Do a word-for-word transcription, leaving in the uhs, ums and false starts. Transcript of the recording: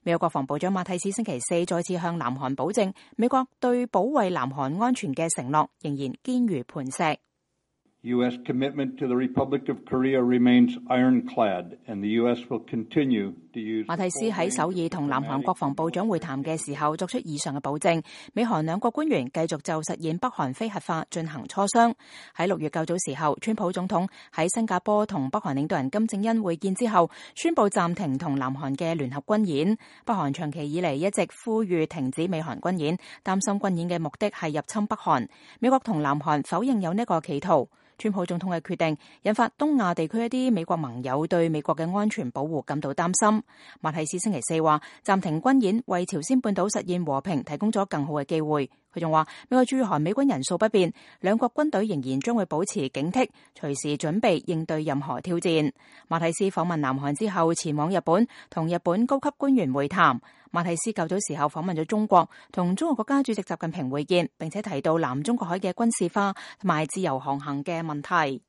美國國防部長馬蒂斯星期四再次向南韓保證，美國對保衛南韓安全嘅承諾仍然堅如磐石。U S commitment to the Republic of Korea remains ironclad, and the U S will continue to use. 馬蒂斯喺首爾同南韓國防部長會談嘅時候作出以上嘅保證，美韓兩國官員繼續就實現北韓非核化進行磋商。喺六月較早時候，川普總統喺新加坡同北韓領導人金正恩會見之後，宣布暫停同南韓嘅聯合軍演。北韓長期以嚟一直呼籲停止美韓軍演，擔心軍演嘅目的係入侵北韓。美國同南韓否認有呢個企圖。川普總統嘅決定引發東亞地區一啲美國盟友對美國嘅安全保護感到擔心。馬蒂斯星期四話，暫停軍演為朝鮮半島實現和平提供咗更好嘅機會。佢仲話，美國駐韓美軍人數不變，兩國軍隊仍然將會保持警惕，隨時準備應對任何挑戰。馬蒂斯訪問南韓之後前往日本，同日本高級官員會談。馬蒂斯較早時候訪問咗中國，同中國國家主席習近平會見，並且提到南中國海嘅軍事化同埋自由航行嘅問題。